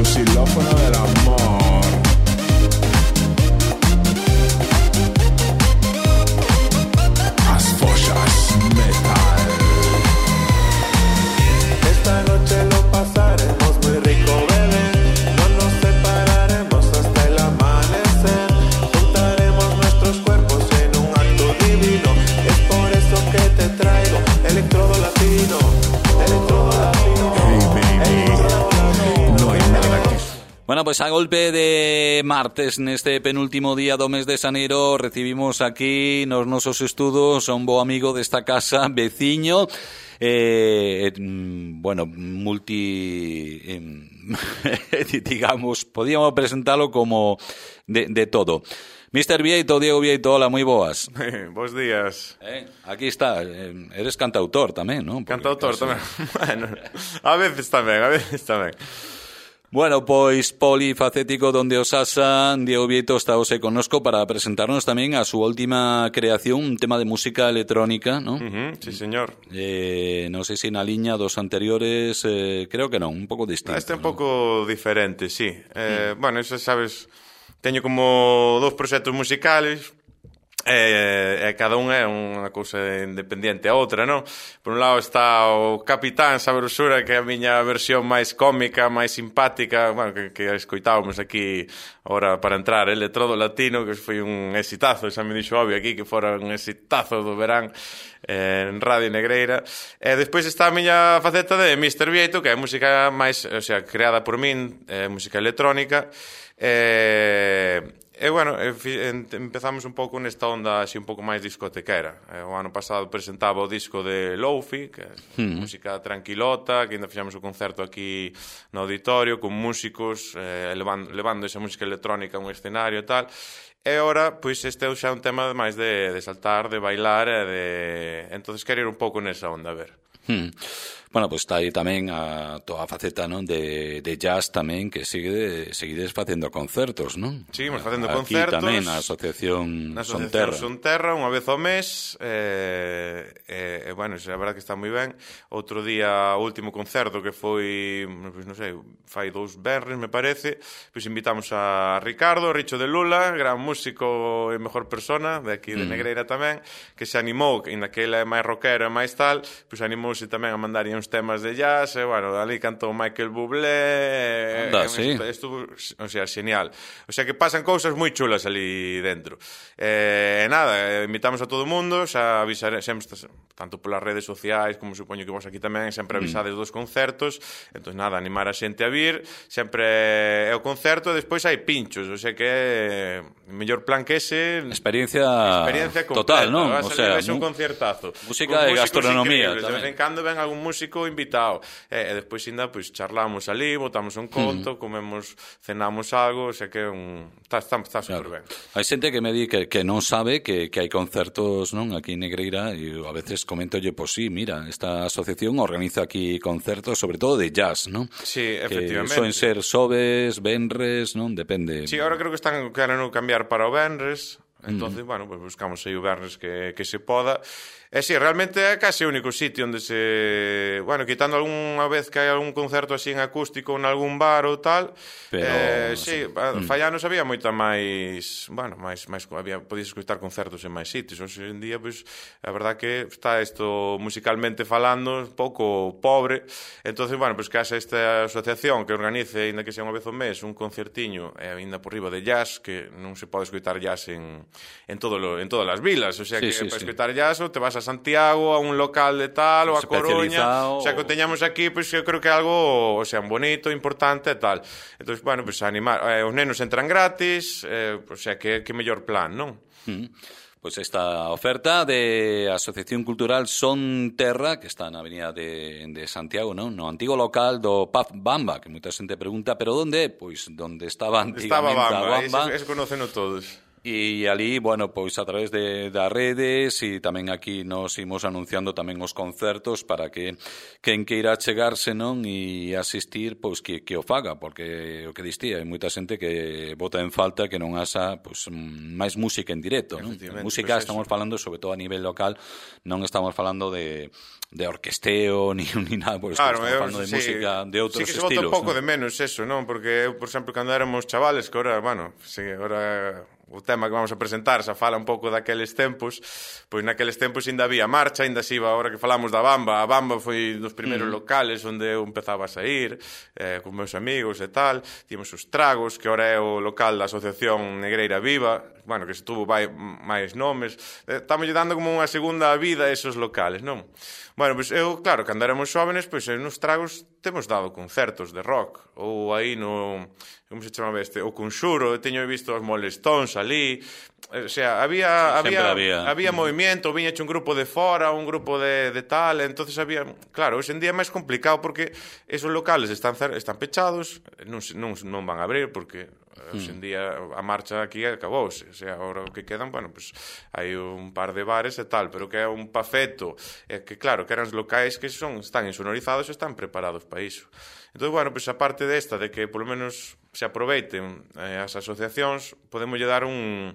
su xilófono del amor. As follas metal. Esta noche lo pasaremos muy rico, bebé. No nos separaremos hasta el amanecer. Juntaremos nuestros cuerpos en un acto divino. Es por eso que te traigo electrodo latino. Electrodo latino. Hey baby, no hai nada que... Bueno, pues a golpe de martes neste penúltimo día do mes de xaneiro recibimos aquí nos nosos estudos a un bo amigo desta casa, veciño, bueno, digamos, podíamos presentalo como de todo. Mr. Vieito, Diego Vieito, hola, moi boas. Bos días. Aquí está, eres cantautor tamén, non? Cantautor tamén. Bueno, a veces tamén. Bueno, pois polifacético donde os asa, Diego Vieito está hoxe connosco para presentarnos tamén a súa última creación, un tema de música electrónica, non? Sí, señor. Non sei se na liña dos anteriores, creo que non, un pouco distinto. Este é un pouco diferente, sí. Bueno, eso sabes, teño como dous proxectos musicales, e cada un é unha cousa independiente a outra, non? Por un lado está o Capitán Sabrosura, que é a miña versión máis cómica, máis simpática, bueno, que escoitábamos aquí ahora para entrar, Electrodo Latino, que foi un exitazo, xa me dixo obvio aquí que fora un exitazo do verán en Radio Negreira. E despois está a miña faceta de Mr. Vieito, que é música máis, o sea, creada por min, música electrónica, e bueno, empezamos un pouco nesta onda así un pouco máis discotequera. O ano pasado presentaba o disco de Lofi, que é música tranquilota, que ainda fixamos o concerto aquí no auditorio con músicos, levando esa música electrónica a un escenario e tal. E ora, pois, este é xa un tema máis de saltar, de bailar e de... Entonces quero ir un pouco nesa onda, a ver. Bueno, pues está aí tamén a toda a faceta, non, de jazz tamén, que seguides facendo concertos, non? Seguimos facendo aquí concertos. Aquí tamén na Asociación Sonterra, unha vez ao mes, bueno, a verdade que está moi ben. Outro día, o último concerto que foi, pois non sei, fai 2 venres, me parece, pois invitamos a Ricardo, Richo de Lula, gran músico e mejor persona, de aquí de Negreira tamén, que se animou, ainda que ele é máis rockero e máis tal, pois animouse tamén a mandar uns temas de jazz, e, bueno, ali cantou Michael Bublé, sí. Estuvo, o sea, genial. O sea, que pasan cousas moi chulas ali dentro. Nada, invitamos a todo o mundo, xa avisaremos, tanto polas redes sociais, como supoño que vos aquí tamén, sempre avisades dos concertos, entón, nada, animar a xente a vir, sempre é o concerto, e despois hai pinchos, o sea, que é mellor plan que ese... Experiencia completa, total, non? O sea, un concertazo. Música de gastronomía. De vez en cando ven algún músico invitado, e despois ainda pois charlamos ali, botamos un conto, comemos, cenamos algo, o sea que está super ben. Hai xente que me di que non sabe que hai concertos, non, aquí en Negreira, e a veces comentolle, pois sí, mira, esta asociación organiza aquí concertos, sobre todo de jazz, non? Sí, efectivamente. Que soen ser xoves, venres, non, depende. Sí, agora creo que están querendo cambiar para o venres. Entonces, bueno, pues buscamos aí o vernes que se poda. E si, realmente é case o único sitio onde se... Bueno, quitando algunha vez que hai algún concerto así en acústico en algún bar ou tal, pero... sí, fallanos había moita máis... Bueno, podías escutar concertos en máis sitios. Hoxe en día, pois, a verdad que está isto musicalmente falando un pouco pobre. Entonces, bueno, pois que haxa esta asociación que organice, ainda que sea unha vez ao mes, un concertiño, ainda por riba de jazz, que non se pode escutar jazz en todas as vilas. O sea, que para escutar jazz ou te vas a Santiago, a un local de tal, ou a Coruña, o sea, que o teñamos aquí, pois eu creo que é algo, o sea, bonito, importante e tal. Entón, bueno, pois animar, os nenos entran gratis, o sea, que mellor plan, non? Pois esta oferta de Asociación Cultural Son Terra, que está na avenida de Santiago, non? No antigo local do Pub Bamba, que moita xente pregunta, pero onde? Pois onde estaba antigamente a Bamba. Eso conoceno todos. E ali, bueno, pois a través das redes e tamén aquí nos imos anunciando tamén os concertos para que quen queira chegarse, non, e asistir, pois que o faga, porque o que distí, hai moita xente que bota en falta que non haxa pois máis música en directo, non? Música pues estamos falando sobre todo a nivel local, non estamos falando de orquesteo ni nada, pois claro, estamos falando de música de outros estilos. Sí que se estilos, bota un pouco non? de menos eso, non? Porque eu, por exemplo, cando éramos chavales, que ahora, bueno, sí, ahora o tema que vamos a presentar xa fala un pouco daqueles tempos, pois naqueles tempos ainda había marcha, ainda se iba, ahora que falamos da Bamba, a Bamba foi dos primeiros locales onde eu empezaba a sair con meus amigos e tal, tínhamos os Tragos, que ahora é o local da Asociación Negreira Viva, bueno, que se tuvo máis nomes, estamos dando como unha segunda vida a esos locales, non? Bueno, pois eu, claro, cando éramos xóvenes, pois nos Tragos temos dado concertos de rock, ou aí no... como se chamaba este? O Conxuro, teño visto os Molestóns ali, o sea, había movimiento, viñache un grupo de fora, un grupo de tal, entonces había, claro, hoxe en día é máis complicado porque esos locales están pechados, non van a abrir porque hoxe en día a marcha aquí acabouse, o sea, agora o que quedan, bueno, pues hai un par de bares e tal, pero que é un pafeto, que claro, que eran os locais que están insonorizados e están preparados para iso. Entón, bueno, pues a parte desta de que polo menos se aproveiten as asociacións, podemos lle dar unha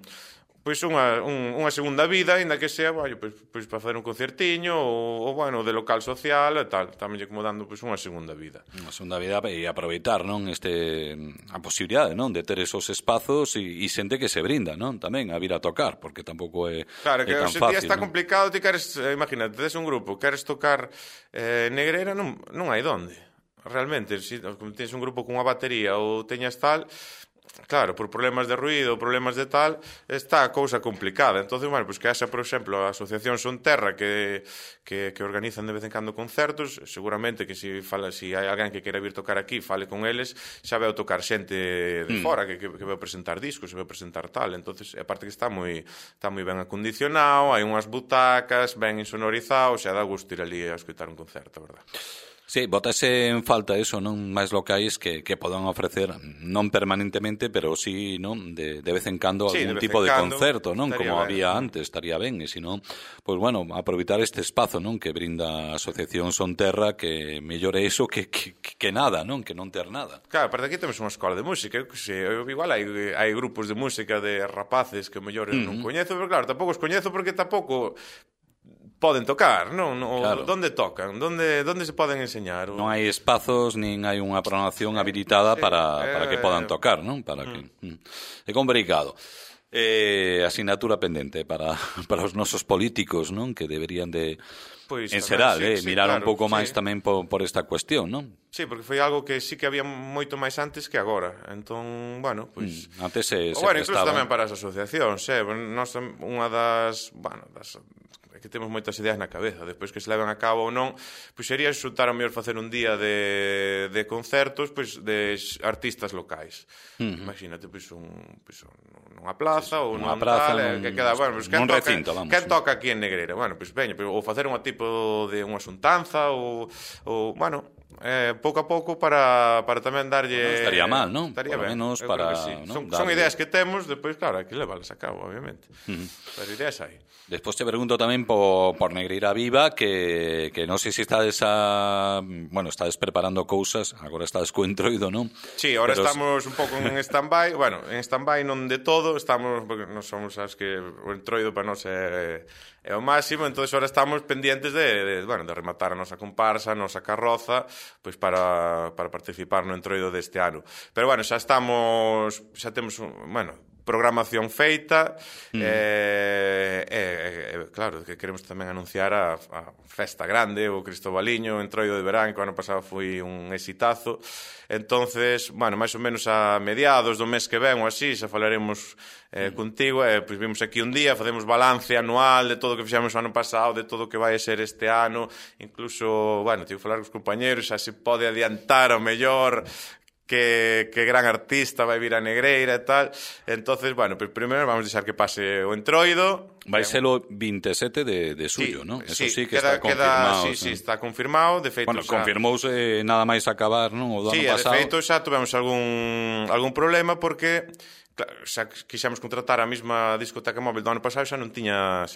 segunda vida, ainda que sea, bueno, pois para facer un concertiño ou bueno, de local social e tal, tamén lle como dando pois unha segunda vida. Unha segunda vida e aproveitar, non, a posibilidade, non, de ter esos espazos e xente que se brinda, non, tamén a vir a tocar, porque tampouco é claro, que tan hoxe fácil. Día está non? complicado, ti queres, imagínate, tes un grupo, queres tocar Negreira, non hai donde. Realmente, se tens un grupo cunha batería ou teñas tal, claro, por problemas de ruído, problemas de tal, está a cousa complicada. Entonces, bueno, pues que haxa, por exemplo, a Asociación Sonterra que organizan de vez en cando concertos, seguramente que se hai alguén que queira vir tocar aquí, fale con eles, xa veo tocar xente de fora que veo presentar discos, veo presentar tal. Entonces, aparte que está moi ben acondicionado, hai unhas butacas, ben insonorizado, xa dá gusto ir ali a escutar un concerto, verdad? Sí, botase en falta eso, non, máis locais que podan ofrecer non permanentemente, pero sí, non, de vez en cando algún tipo de concerto, non, como había antes, estaría ben, e senón, pois bueno, aproveitar este espazo, non, que brinda a Asociación Sonterra, que mellore iso que nada, non, que non ter nada. Claro, aparte aquí temos unha escola de música, igual hai grupos de música de rapaces que mellor non coñezo, pero claro, tampouco os coñezo porque tampouco poden tocar, non? Claro. Donde tocan? Donde se poden enseñar? Non hai espazos, nin hai unha programación habilitada para que podan tocar, non? É complicado. Asignatura pendente para os nosos políticos, non? Que deberían de en xeral, mirar claro, un pouco máis tamén por esta cuestión, non? Sí, porque foi algo que sí que había moito máis antes que agora. Entón, bueno, pois antes se bueno, incluso tamén para as asociacións, nós unha das que temos moitas ideas na cabeza, despois que se leven a cabo ou non, pois sería xuntar ao mellor facer un día de concertos pois de artistas locais. Imagínate, pois nunha plaza ou nunha tal, que queda, bueno, pois quen toca aquí en Negreira? Bueno, pois veña, ou facer unha tipo de unha xuntanza ou bueno, pouco a pouco para tamén darlle... Non estaría mal, non? Estaría ben, menos para... Sí. Son ideas que temos, despois, claro, hai que leválas a cabo, obviamente. Pero ideas hai. Despois te pregunto tamén por Negreira Viva, que non sei se estades estades preparando cousas, agora estades co entroido, non? Sí, agora estamos un pouco en stand-by, bueno, en stand-by non de todo, estamos, porque non somos as que o entroido para nós é o máximo, entonces agora estamos pendientes de rematar a nosa comparsa, a nosa carroza, pois para participar no entroido deste ano. Pero bueno, xa temos, programación feita, claro, que queremos tamén anunciar a festa grande, o Cristobaliño, o entroido de verán, que o ano pasado foi un exitazo. Entonces, máis ou menos a mediados do mes que ven ou así, xa falaremos contigo, pois vimos aquí un día, facemos balance anual de todo o que fixemos o ano pasado, de todo o que vai a ser este ano, incluso, tive que falar cos compañeros, xa se pode adiantar ao mellor que gran artista vai vir a Negreira e tal. Entonces, primeiro vamos deixar que pase o entroido. Vai ser o 27 de xullo, non? Eso sí que está confirmado. Sí, está confirmado. De feito, confirmouse nada máis acabar, non? O do ano pasado. De feito, xa tuvemos algún problema porque xa quixemos contratar a mesma discoteca móvil do ano pasado, xa non tiña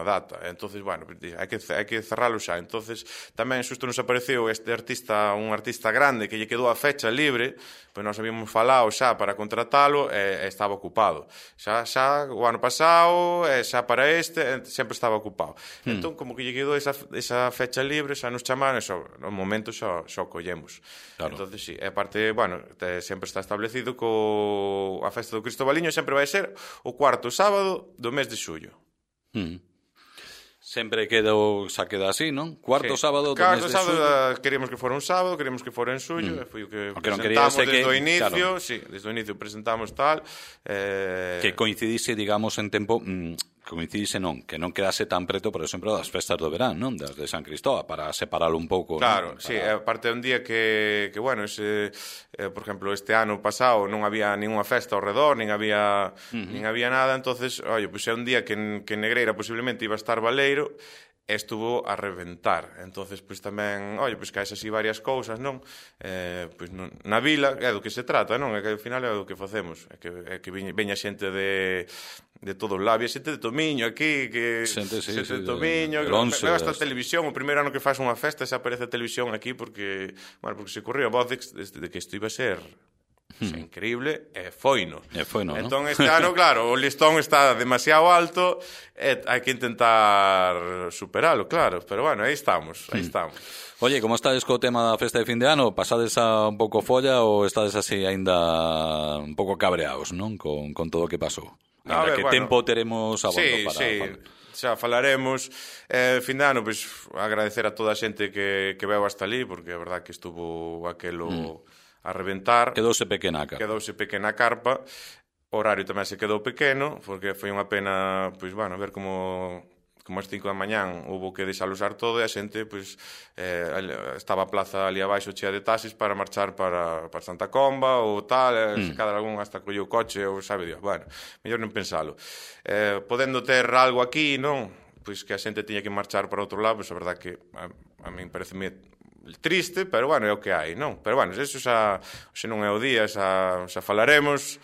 data. Entonces, bueno, hai que cerralo xa. Entonces, tamén xusto nos apareceu un artista grande que lle quedou a fecha libre, pois nós habíamos falado xa para contratalo e estaba ocupado. Xa o ano pasado, xa para sempre estaba ocupado. Entón, como que lle quedou esa fecha libre, xa nos chamaron, no momento xa o collemos. Claro. Entonces, sí, e aparte, bueno, sempre está establecido que a festa do Cristobaliño sempre vai ser o cuarto sábado do mes de xullo. Sempre queda así, non? Cuarto sábado do mes de xullo. Queríamos que fora un sábado, queríamos que fora en xullo, foi o que presentamos desde o inicio, desde o inicio presentamos tal. Que coincidise, digamos, en tempo... coincidise non, que non quedase tan preto, por exemplo, das festas do verán, non? Das de San Cristóbal, para separalo un pouco. Claro, non? sí, aparte un día que bueno, por exemplo, este ano pasado non había ninguna festa ao redor, nin había nada, entonces, pois é un día que Negreira posiblemente iba a estar baleiro, estuvo a reventar. Entonces, pois tamén, pois caes así varias cousas, non? Pois na vila é do que se trata, non? É que ao final é do que facemos, é que veña xente de todos os lados, xente de Tomiño aquí, xente de Tomiño, que hasta a televisión, o primeiro ano que faz unha festa xa aparece a televisión aquí porque se correu a voz de que isto iba a ser increíble, e foino. Entón, este ano, claro, o listón está demasiado alto e hai que intentar superalo, claro, pero bueno, aí estamos. Oye, como estades co tema da festa de fin de ano? Pasades a un pouco folla ou estades así aínda un pouco cabreados, non? Con todo o que pasou. Que tempo teremos a bordo para... Xa falaremos. Fin de ano, pois, agradecer a toda a xente que veu hasta ali, porque a verdad que estuvo aquelo a reventar. Quedouse pequena a carpa. O horario tamén se quedou pequeno, porque foi unha pena, pois, bueno, ver como as 5 da mañán houve que desalusar todo e a xente, pois, estaba a plaza ali abaixo chea de taxis para marchar para Santa Comba ou tal, se cada algún hasta colleu coche ou sabe Dios, bueno, mellor non pensalo. Podendo ter algo aquí, non? Pois que a xente tiña que marchar para outro lado, pois a verdad que a min parece triste, pero bueno, é o que hai, non? Pero bueno, eso xa non é o día, xa falaremos.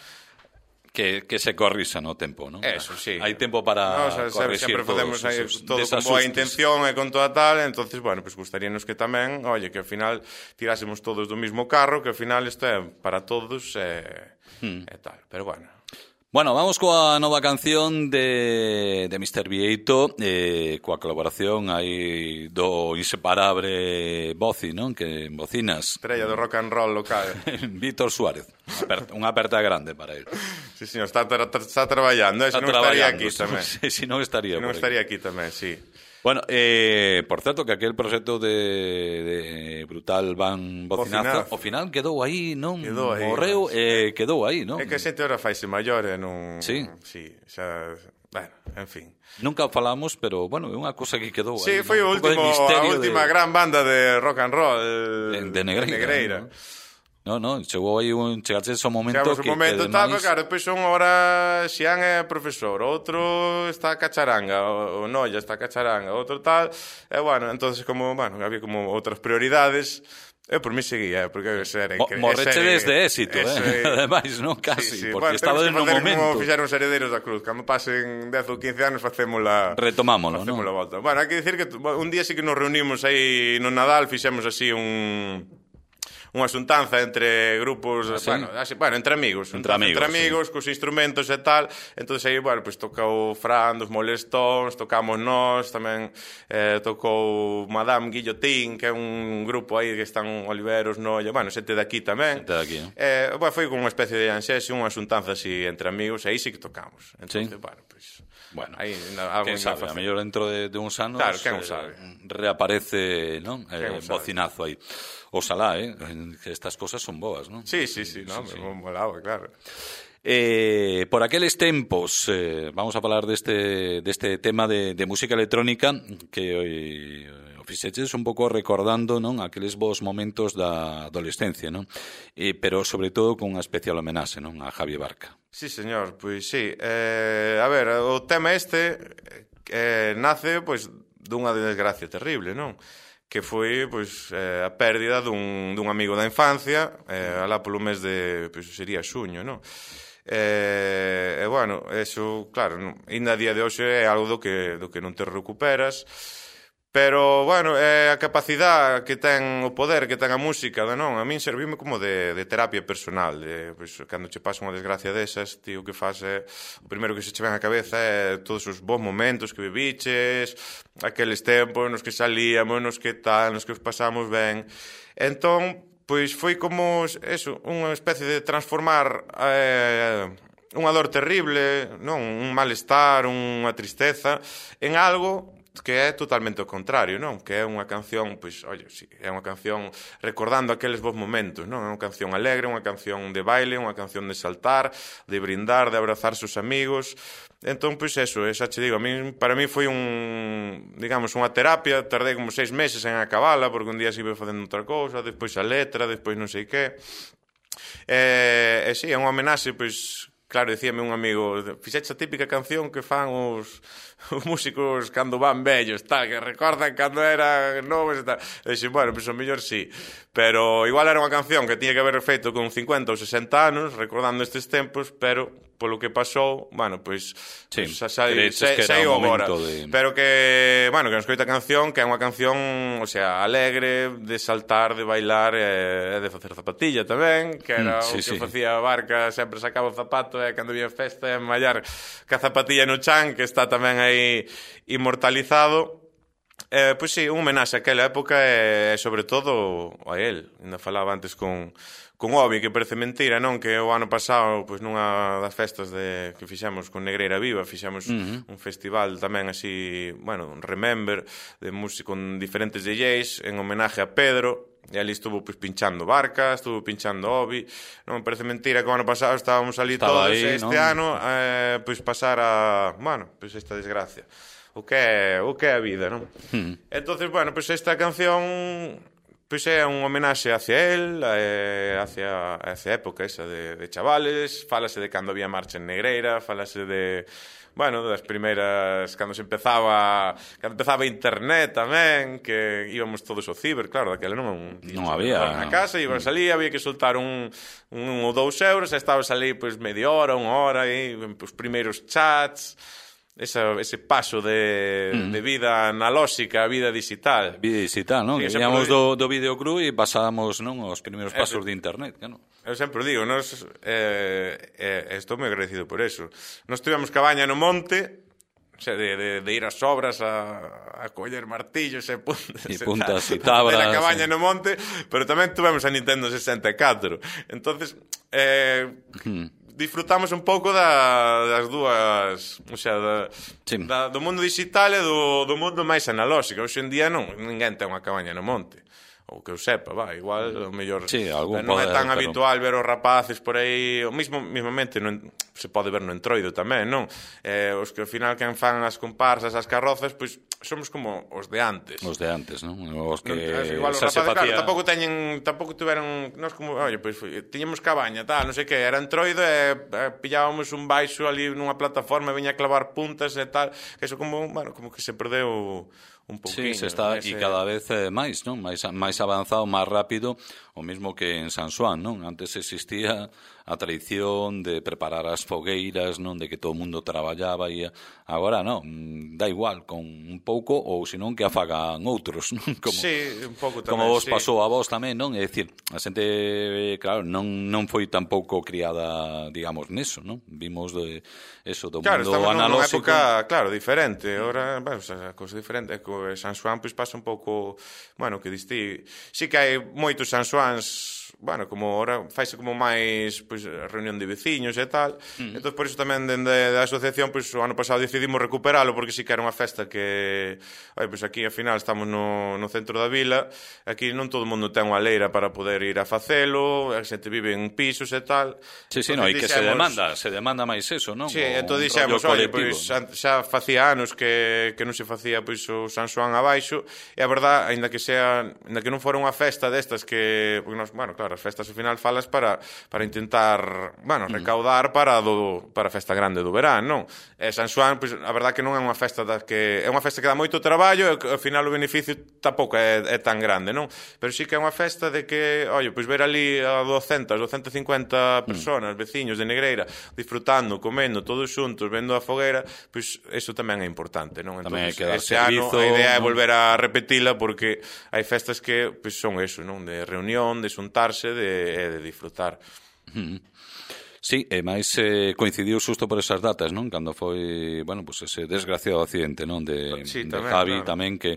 Que se corrisa no tempo, non? Eso, sí. Hai tempo para corrixir sempre facemos todo con boa intención e con toda tal, entonces, bueno, pues gustaríanos que tamén, que ao final tirásemos todos do mismo carro, que ao final isto é para todos e tal, pero bueno. Bueno, vamos coa nova canción de Mr. Vieito, coa colaboración aí do inseparable Boci, non? Que bocinas. Estrella do rock and roll local. Víctor Suárez. Unha aperta grande para él. Sí, señor, está traballando, se non estaría aquí tamén. Si non estaría. Non estaría aquí tamén, sí. Bueno, por certo que aquel proxecto de Brutal Van Bocinazo ao final quedou aí, non? Morreu e quedou aí, non? É que a xente ahora faise maior e non... Sí. Sí, xa... Bueno, en fin. Nunca falamos, pero, bueno, é unha cosa que quedou aí. Sí, foi a última gran banda de rock and roll de Negreira. No, chegou aí chegaste ese momento que tal, pero claro, depois son ahora Xian é profesor, outro está a cacharanga, o Noia está a cacharanga, outro tal, e bueno, entonces como, bueno, había como outras prioridades. Eu por mí seguía, porque morreche desde éxito, ademais, non? Casi, porque estaba en un momento. Como fixeron os herederos da cruz, cando pasen 10 ou 15 anos facémola... Retomámoslo, non? Volta. Bueno, hai que dicir que un día sí que nos reunimos aí no Nadal, fixemos así unha xuntanza entre grupos, entre amigos, cos instrumentos e tal. Entonces aí, bueno, pues tocou Fran dos Molestóns, tocamos nós, tamén tocou Madame Guillotín, que é un grupo aí que están Oliveros, Noia, bueno, xente de aquí tamén. Bueno, foi como unha especie de anxese, unha xuntanza así entre amigos, e aí sí que tocamos. Entonces, bueno, pues... Bueno, quen sabe, a mellor dentro de uns anos reaparece, non? Bocinazo aí. Oxalá, que estas cosas son boas, non? Sí, non, molaba, claro. Por aqueles tempos, vamos a falar deste tema de música electrónica que o fixeches un pouco recordando, non, aqueles bons momentos da adolescencia, non? Pero sobre todo con unha especial homenaxe, non, a Javi Barca. Sí, señor, pois sí. A ver, o tema nace, pois, dunha desgracia terrible, non? Que foi, pois, a pérdida dun amigo da infancia, alá polo mes de, pois, sería xuño, non? E bueno, eso, claro, ainda a día de hoxe é algo do que non te recuperas. Pero, bueno, a capacidade que ten, o poder que ten a música, non? A min servime como de terapia personal. Pois, cando che pasa unha desgracia desas, tío, o que faz é... O primeiro que se che ven a cabeza é todos os bons momentos que viviches, aqueles tempos nos que salíamos, nos que tal, nos que os pasamos ben. Entón, pois foi como, eso, unha especie de transformar unha dor terrible, non? Un malestar, unha tristeza, en algo que é totalmente o contrario, non? Que é unha canción, pois, oye, sí, é unha canción recordando aqueles bons momentos, non? É unha canción alegre, unha canción de baile, unha canción de saltar, de brindar, de abrazar seus amigos. Entón, pois eso, xa che digo, para mí foi digamos, unha terapia. Tardei como 6 meses en acabala, porque un día se iba facendo outra cousa, despois a letra, despois non sei que. E sí, é unha homenaxe, pois... Claro, dicíame un amigo, fixeche a típica canción que fan os músicos cando van vellos, tal, que recordan cando eran novos e tal. E dixen, bueno, pois o mellor sí. Pero igual era unha canción que tiña que haber feito con 50 ou 60 anos, recordando estes tempos, pero polo que pasou, bueno, pois sí, sei agora. Pero que, bueno, que nos coita a canción, que é unha canción, o sea, alegre, de saltar, de bailar, e de facer zapatilla tamén, que era o que facía Barca, sempre sacaba o zapato, e cando había festa, e mallar ca zapatilla no chan, que está tamén aí inmortalizado. Pois sí, un homenaxe a aquela época e sobre todo a él. Ainda falaba antes con Obi, que parece mentira, non? Que o ano pasado, pois nunha das festas que fixemos con Negreira Viva, fixemos un festival tamén así, bueno, un Remember, de música con diferentes DJs, en homenaje a Pedro, e ali estuvo pois pinchando Barca, estuvo pinchando Obi. Non me parece mentira que o ano pasado estábamos ali todos, aí, este ano pois pasar a, bueno, pois esta desgracia. O que é a vida, non? Entonces, bueno, pois esta canción pois é un homenaxe hacia él, hacia esa época esa de chavales. Fálase de cando había marcha en Negreira, fálase de, bueno, das primeiras, cando empezaba internet tamén, que íbamos todos ao ciber, claro, daquela non había na casa, íbamos ali, había que soltar un ou 2 euros, e estabas ali pois media hora, unha hora, e os primeiros chats, ese paso de vida analóxica a vida digital. Vida digital, non? Sí, Íamos do videoclub e pasábamos, non, os primeiros pasos de internet, non? Eu sempre digo, estou moi agradecido por eso. Nos tivemos cabaña no monte, o sea, de ir ás obras a coller martillos e puntas e tabras. De la cabaña no monte, pero tamén tivemos a Nintendo 64. Entonces, disfrutamos un pouco das dúas, o sea, do mundo digital e do mundo máis analóxico. Hoxe en día ninguén ten unha cabaña no monte, ou que eu sepa, igual o mellor non é tan habitual ver os rapaces por aí, o mismamente se pode ver no Entroido tamén, non? Os que ao final quen fan as comparsas, as carrozas, pois somos como os de antes. Os de antes, non? Os que igual os rapaces, claro, tampouco teñen, nós como, oye, pois tiñemos cabaña, tal, non sei que, era Entroido e pillábamos un baixo ali nunha plataforma e viña a clavar puntas e tal, que eso como, bueno, como que se perdeu un pouquinho. Sí, se está, e cada vez máis, non? Máis avanzado, máis rápido, o mesmo que en San Xoán, non? Antes existía a tradición de preparar as fogueiras, non? De que todo o mundo traballaba e agora non, da igual, con un pouco ou senón que afagan outros, non? Sí, un pouco tamén. Como vos pasou a vos tamén, non? É dicir, a xente, claro, non foi tampouco criada, digamos, neso, non? Vimos do mundo analóxico. Claro, estamos nunha época, claro, diferente. Ahora, bueno, a cousa diferente é que San Xoán pois pasa un pouco, bueno, que distí. Sí que hai moitos San Xoáns, bueno, como ahora faise como máis pois reunión de veciños e tal. Entón por iso tamén dende a asociación pois o ano pasado decidimos recuperalo, porque sí que era unha festa que, pois aquí ao final estamos no centro da vila, aquí non todo o mundo ten unha leira para poder ir a facelo, a xente vive en pisos e tal. Sí, no, e que se demanda máis eso, non? Sí, entón dixemos, pois xa facía anos que non se facía pois o San Xoán abaixo, e a verdad, aínda que non fora unha festa destas que, porque nos, bueno, claro, as festas ao final falas para intentar, bueno, recaudar para a festa grande do verán, non? E San Xoán, pois, a verdade que non é unha festa é unha festa que dá moito traballo e ao final o beneficio tampouco é tan grande, non? Pero sí que é unha festa de que, pois ver ali a 250 personas, veciños de Negreira, disfrutando, comendo, todos xuntos, vendo a fogueira, pois iso tamén é importante, non? Entón, ese ano a idea é volver a repetila porque hai festas que pois, son eso, non? De reunión, de xuntarse, de disfrutar. Sí, e máis coincidiu xusto por esas datas, non? Cando foi, bueno, pues ese desgraciado accidente, non? De Javi tamén que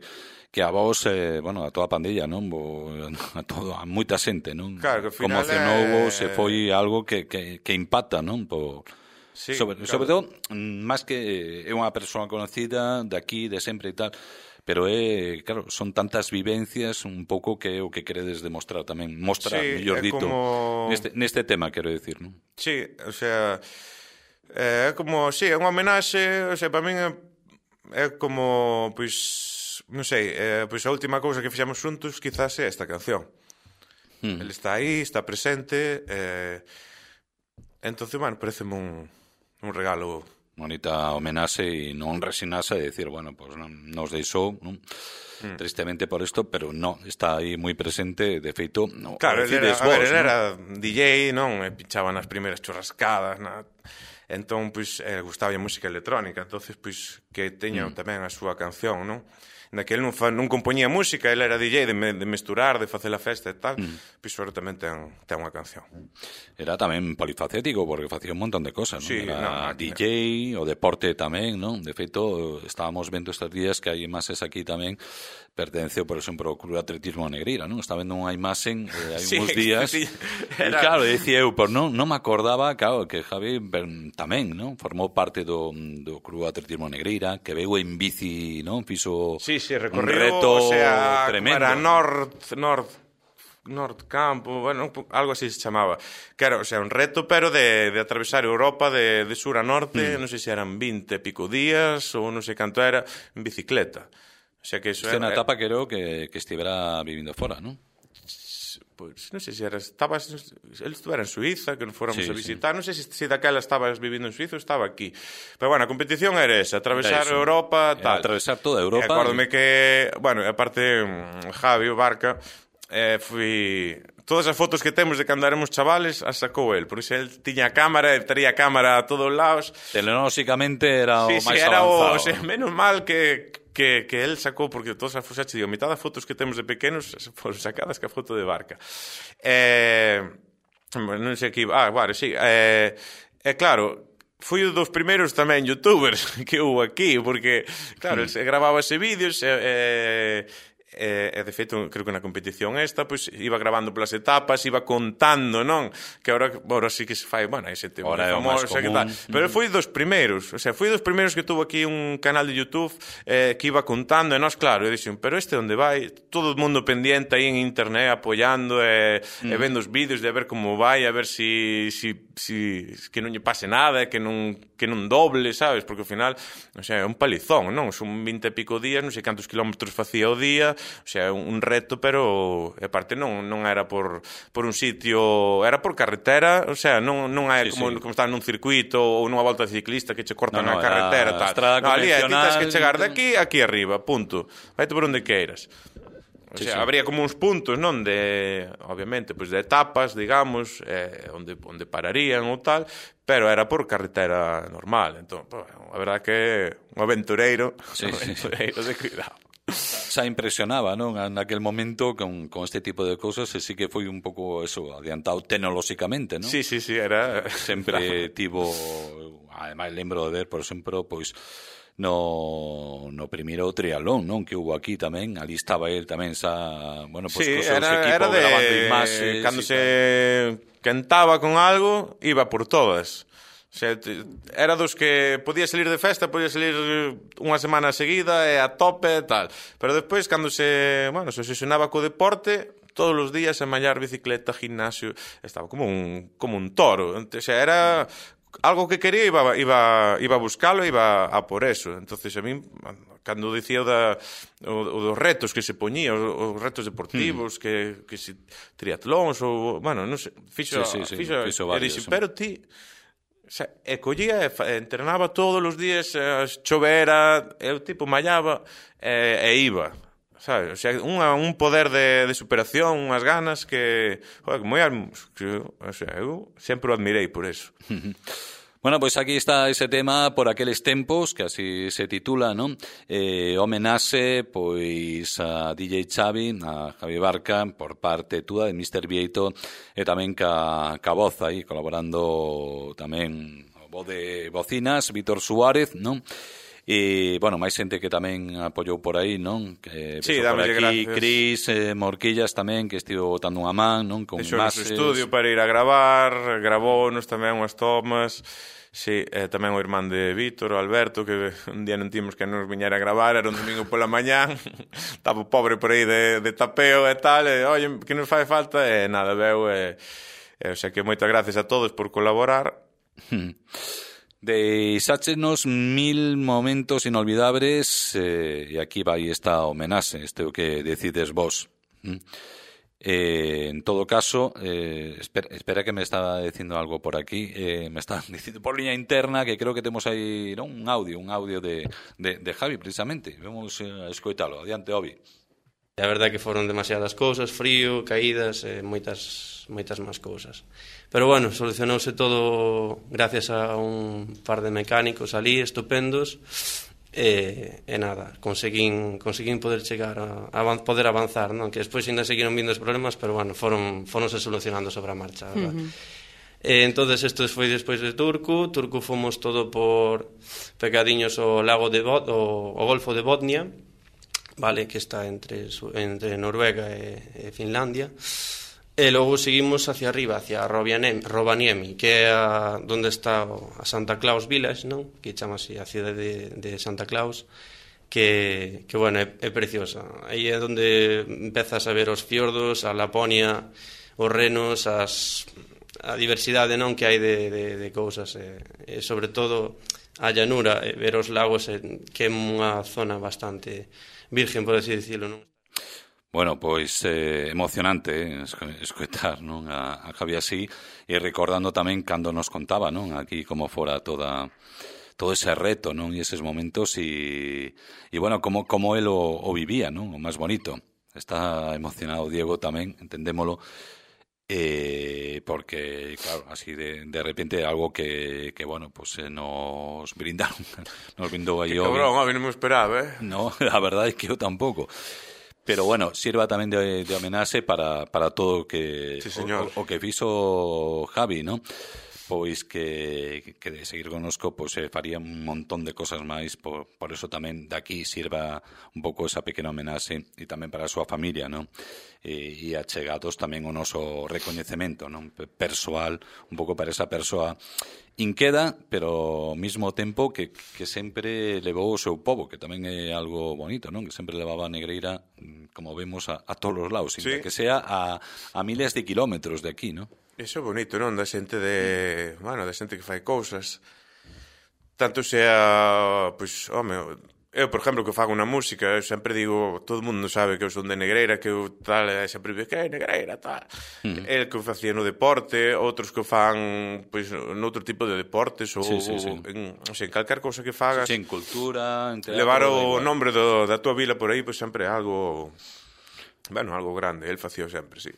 a vos, bueno, a toda a pandilla, non? A moita xente, non? Claro, que ao final conmocionou, se foi algo que impacta, non? Sí, sobre todo, máis que é unha persoa conocida de aquí, de sempre e tal, pero claro, son tantas vivencias un pouco que é o que queredes demostrar tamén, mostrar, mellor dito, como... neste tema, quero dicir, non? Sí, o sea, é como, sí, é unha homenaxe, o sea, para min é como, pois, non sei, pois a última cousa que fixemos xuntos quizás é esta canción. Ele está aí, está presente, entonces, bueno, pareceme un regalo. Bonita homenaxe e non resinarse e decir, bueno, pues nos deixou, non? Tristemente por isto, pero no, está aí moi presente, de feito, no, claro, ele era DJ, non? E pinchaba nas primeiras churrascadas, entón, pois, gustaba a música electrónica, entonces, pois, que teña tamén a súa canción, non? Naquele non compoñía música, ele era DJ de mesturar, de facer a festa e tal, pois agora tamén ten unha canción. Era tamén polifacético, porque facía un montón de cosas, non? Sí, era DJ, o deporte tamén, non? De feito, estábamos vendo estes días que hai imaxes aquí tamén, pertenceu, por exemplo, ao Club Atletismo Negreira, non? Está vendo unha imaxen hai uns días, e claro, decía eu, pero non me acordaba, claro, que Javi tamén, non? Formou parte do Club Atletismo Negreira, que veu en bici, non? Fixo un reto, o sea, tremendo. Era North Campo, bueno, algo así se chamaba. Que era, o sea, un reto, pero de atravesar Europa de sur a norte, non sei se eran 20 e pico días, ou non sei canto era, en bicicleta. O sea, que eso era... unha etapa, creo, que estivera vivindo fora, non? Pois, non sei se era... Ele estuvera en Suiza, que nos fóramos a visitar. Non sei se daquela estabas vivindo en Suiza ou estaba aquí. Pero, bueno, a competición era esa, atravesar Europa, tal. Atravesar toda Europa. Acórdome que, bueno, aparte, Javi, o Barca, todas as fotos que temos de cando éramos chavales as sacou el, por iso el tiña a cámara, traía a cámara a todos os lados. Telenóxicamente era o máis era avanzado. O sea, menos mal que el sacou, porque todas as fotos, digo, mitad das fotos que temos de pequenos foron sacadas que a foto de Barca. Non sei que iba... bueno, sí. Claro, fui un dos primeiros tamén youtubers que hubo aquí, porque, claro, el grababa ese vídeos de feito, creo que na competición esta, pois iba grabando polas etapas, iba contando, non? Que agora sí que se fai, bueno, ese tema famoso, que tal. Pero foi dos primeiros, o sea, foi dos primeiros que tuvo aquí un canal de YouTube que iba contando, e nós, claro, e dixen, pero este onde vai? Todo o mundo pendiente aí en internet, apoiando e vendo os vídeos de a ver como vai, a ver si que non lle pase nada, que non doble, sabes? Porque ao final, o sea, é un palizón, non? Son 20 e pico días, non sei cantos kilómetros facía o día. O sea, un reto, pero aparte non era por un sitio, era por carretera, o sea, non é como estar nun circuito ou nunha volta ciclista que che cortan a carretera, tal. No, ali tens que chegar de aquí arriba, punto. Vaite por onde queiras. O sea, habría como uns puntos, non? Obviamente, pois de etapas, digamos, onde pararían ou tal, pero era por carretera normal. Entón, a verdade que un aventureiro de cuidado. Xa impresionaba, non? Naquel momento con este tipo de cousas, e sí que foi un pouco eso, adiantado tecnolóxicamente, non? Sí, era... Sempre tivo, ademais lembro de ver, por exemplo, pois no primeiro triatlón, non? Que hubo aquí tamén, ali estaba el tamén bueno, pois co seu equipo grabando imaxes. Cando se cantaba con algo, iba por todas. O sea, era dos que podía salir de festa, podía salir unha semana seguida e a tope e tal. Pero despois, cando se obsesionaba co deporte, todos os días a mallar bicicleta, gimnasio, estaba como un toro. O sea, era algo que quería, iba a buscalo, iba a por eso. Entonces, a mí, cando dicía o dos retos que se poñía, os retos deportivos, que se triatlóns, ou, bueno, non sei, fixo varios, pero ti, o sea, collía e entrenaba todos os días, chovera, eu tipo mallaba e iba, sabes? O sea, un poder de superación, unhas ganas que, joder, o sea, eu sempre o admirei por eso. Bueno, pois aquí está ese tema Por aqueles tempos, que así se titula, non? Homenaxe, pois, a DJ Xavi, a Javi Barca, por parte túa de Mr. Vieito, e tamén ca voz aí, colaborando tamén o voz de Bocinas, Vítor Suárez, non? E, bueno, máis xente que tamén apoiou por aí, non? Que sí, por aquí, gracias. Cris, Morquillas tamén, que estivo botando unha man, non? Con Deixou nos estudio para ir a gravar, gravounos tamén unhas tomas. Sí, tamén o irmán de Vítor, o Alberto, que un día non timos que nos viñera a gravar, era un domingo pola mañán, estaba pobre por aí de tapeo e tal, e, oye, que nos fai falta, e nada, veu, o sea que moitas gracias a todos por colaborar. Deixáchenos 1000 momentos inolvidables, e aquí vai esta homenaxe, este o que decides vos. En todo caso, espera que me estaba dicindo algo por aquí, me está dicindo por línea interna que creo que temos aí, non, un audio de Javi precisamente. Vamos a escoitalo. Adiante, Obi. A verdade que foron demasiadas cousas, frío, caídas, moitas máis cousas. Pero bueno, solucionouse todo gracias a un par de mecánicos ali estupendos. E nada, conseguín poder chegar a poder avanzar, non? Que despois ainda seguiron vindo os problemas, pero bueno, foronse solucionando sobre a marcha, verdad? Entonces isto foi despois de Turku fomos todo por pecadiños o lago de o Golfo de Botnia, vale, que está entre Noruega e Finlandia. E logo seguimos hacia arriba, hacia Rovaniemi, que é onde está a Santa Claus Village, non? Que chama así a cidade de Santa Claus, que bueno, é preciosa. Aí é onde empezas a ver os fiordos, a Laponia, os renos, a diversidade, non, que hai de cousas, e sobre todo a llanura, ver os lagos, que é unha zona bastante virgen, por así dicirlo, non? Bueno, pois emocionante escoitar, non, a Javi así, e recordando tamén cando nos contaba, non, aquí como fora todo ese reto, non, e eses momentos, e bueno, como el o vivía, non, o máis bonito. Está emocionado Diego tamén, entendémolo, porque, claro, así de repente algo que bueno, pues nos brindaron, nos brindou aí. Que cabrón, a mí non me esperaba, No, a verdade é que eu tampouco. Pero bueno, sirva tamén de homenaxe para todo que sí, o que fixo Javi, ¿no? Pois que de seguir connosco, pois faría un montón de cosas máis, por eso tamén daqui sirva un pouco esa pequena homenaxe, e tamén para a súa familia, ¿no? E achegados tamén o noso recoñecemento, non? Persoal, un pouco para esa persoa inqueda, pero ao mesmo tempo que sempre levou o seu pobo, que tamén é algo bonito, non? Que sempre levaba a negreira, como vemos, a todos os lados, sí, que sea a miles de kilómetros de aquí, non? Iso é bonito, non? Da xente da xente que fai cousas. Tanto sea, pois, home, eu, por exemplo, que fago unha música, eu sempre digo, todo o mundo sabe que eu son de Negreira, que eu tal, sempre digo, que é Negreira, tal. El que facía no deporte, outros que fan, pois, noutro tipo de deportes, ou en calquer cousa que fagas. Sí, en cultura, en teatro, levar o nombre da tua vila por aí, pois sempre é algo, bueno, algo grande, el facía sempre, sí.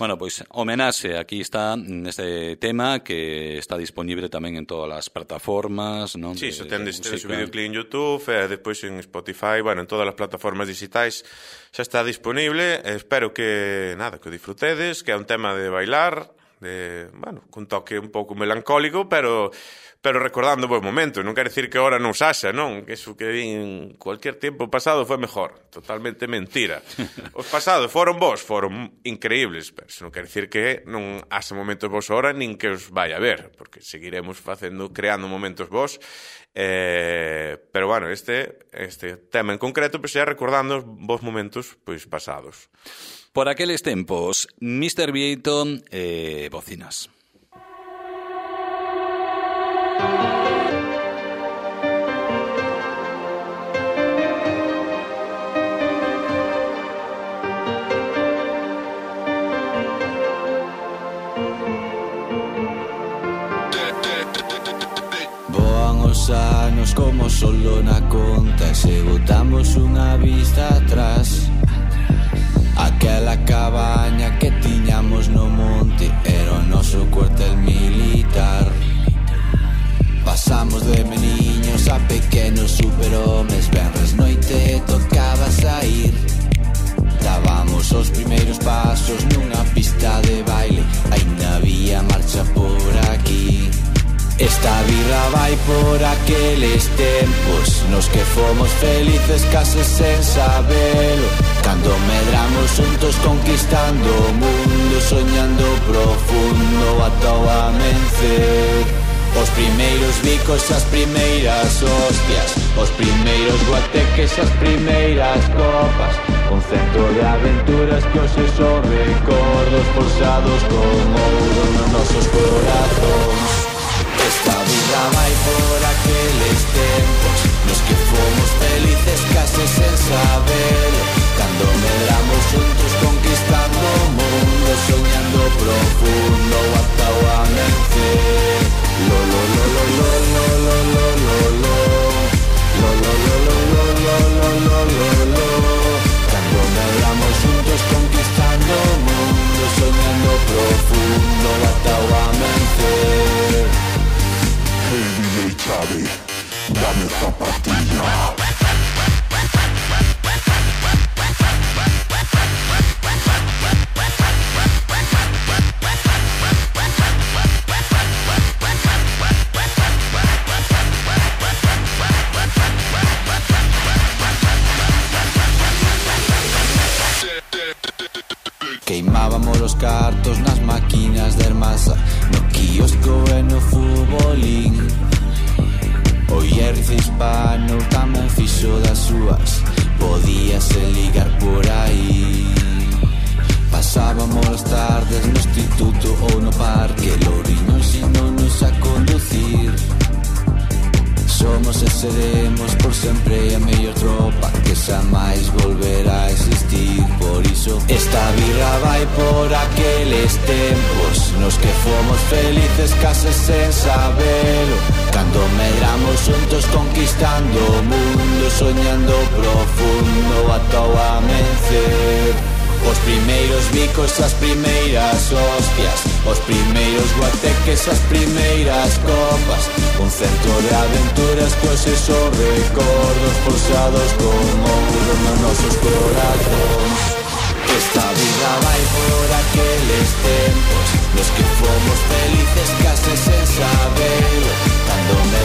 Bueno, pois homenaxe, aquí está neste tema que está disponible tamén en todas as plataformas, non? Sí, se tendes o videoclip en YouTube, e despois en Spotify, bueno, en todas as plataformas digitais xa está disponible. Espero que, nada, que o disfrutedes, que é un tema de bailar, bueno, cun toque un pouco melancólico, pero recordando bons momentos. Non quero dicir que ahora non saxa, non? Que eso que en cualquier tempo pasado foi mejor. Totalmente mentira. Os pasados foron bons, foron increíbles, pero eso non quero dicir que non haxa momentos bons ahora, nin que os vai a ver, porque seguiremos creando momentos bons. Pero bueno, este tema en concreto, pois, é recordando os bons momentos, pois, pasados. Por aqueles tempos, Mr. Vieito e Bocinas. os anos como solo na conta e se botamos unha vista atrás, aquela cabaña que tiñamos no monte era o noso cuartel militar. Pasamos de meniños a pequenos superhomes, venres noite tocaba sair. Dábamos os primeiros pasos nunha pista de baile, aínda había marcha por aquí. Esta birra vai por aqueles tempos nos que fomos felices case sen sabelo, cando medramos juntos conquistando o mundo, soñando profundo ata o amencer. Os primeiros bicos, as primeiras hostias, os primeiros guateques, as primeiras copas, un centro de aventuras que hoxe son recordos forzados con ouro nos nosos corazóns. Esta vida vai por aqueles tempos nos que fomos felices case sen sabelo, cando medramos juntos conquistando o mundo, soñando profundo ata o amencer. Lo lo lo lo lo lo lo lo lo lo lo lo lo lo lo lo lo. Cando medramos juntos conquistando o mundo, soñando profundo ata o amencer. Hey DJ Xavi, dame zapatilla. Queimábamos os cartos nas máquinas de Hermasa, no quiosco e no futbolín. O Hierrice hispano tamén fixo das súas, podíase ligar por aí. Pasábamos as tardes no instituto ou no parque, Louriño ensinounos a conducir. Somos e seremos por sempre a mellor tropa que xa máis volverá a existir. Por iso esta birra vai por aqueles tempos nos que fomos felices case sen sabelo, cando medramos juntos conquistando o mundo, soñando profundo ata o amencer. Os primeiros bicos, as primeiras hostias, os primeiros guateques, as primeiras copas, un centro de aventuras que hoxe son recordos forzados con ouro nos nosos corazóns. Esta vida vai por aqueles tempos nos que fomos felices case sen sabelo, cando me